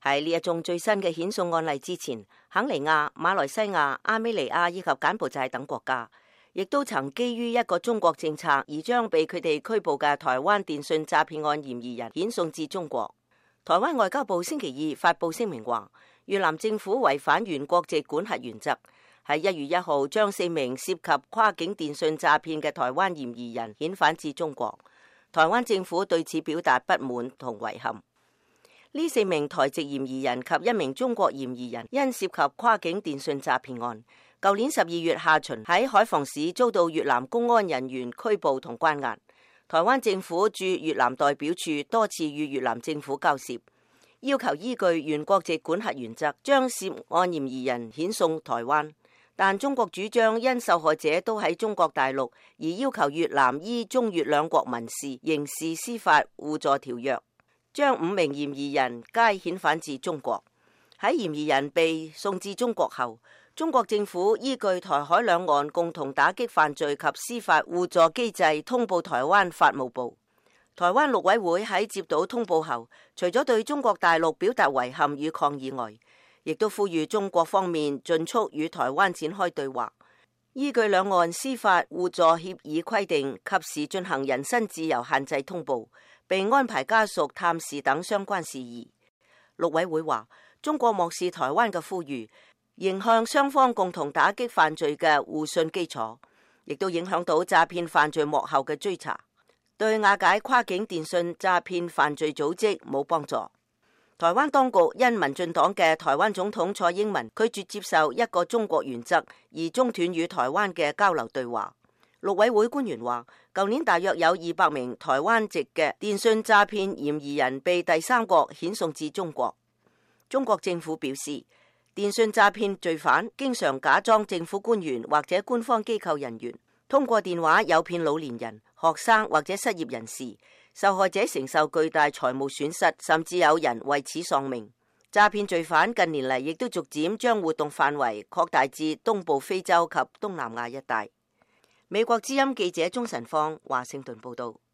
喺呢一宗最新嘅遣送案例之前，肯尼亞、馬來西亞、阿美尼亞以及柬埔寨等國家，亦都曾基於一個中國政策而將被佢哋拘捕嘅台灣電信詐騙案嫌疑人遣送至中國。台灣外交部星期二發布聲明話，越南政府違反原國籍管轄原則，喺1月1號將4名涉及跨境電信詐騙嘅台灣嫌疑人遣返至中國。台灣政府對此表達不滿同遺憾。呢4名台籍嫌疑人及1名中國嫌疑人因涉及跨境電信詐騙案，舊年12月下旬喺海防市遭到越南公安人員拘捕同關押。台灣政府駐越南代表處多次與越南政府交涉，要求依據原國籍管轄原則將涉案嫌疑人遣送台灣，但中國主張因受害者都喺中國大陸，而要求越南依中越兩國民事、刑事司法互助條約，將5名嫌疑人皆遣返至中國。喺嫌疑人被送至中國後，中國政府依據台海兩岸共同打擊犯罪及司法互助機制通報台灣法務部。台灣陸委會喺接到通報後，除咗對中國大陸表達遺憾與抗議外，亦都呼籲中國方面盡速與台灣展開對話，依據兩岸司法互助協議規定，及時進行人身自由限制通報，並安排家屬探視等相關事宜。陸委會話，中國漠視台灣嘅呼籲，影響雙方共同打擊犯罪嘅互信基礎，亦都影響到詐騙犯罪幕後嘅追查，對瓦解跨境電信詐騙犯罪組織冇幫助。台灣當局因民進黨嘅台灣總統蔡英文拒絕接受一個中國原則，而中斷與台灣嘅交流對話。陸委會官員話，舊年大約有200名台灣籍嘅電信詐騙嫌疑人被第三國遣送至中國。中國政府表示，電信詐騙罪犯經常假裝政府官員或者官方機構人員，通過電話誘騙老年人、學生或者失業人士，受害者承受巨大財務損失，甚至有人為此喪命。詐騙罪犯近年嚟亦都逐漸將活動範圍擴大至東部非洲及東南亞一帶。美國之音記者鍾晨芳華盛頓報道。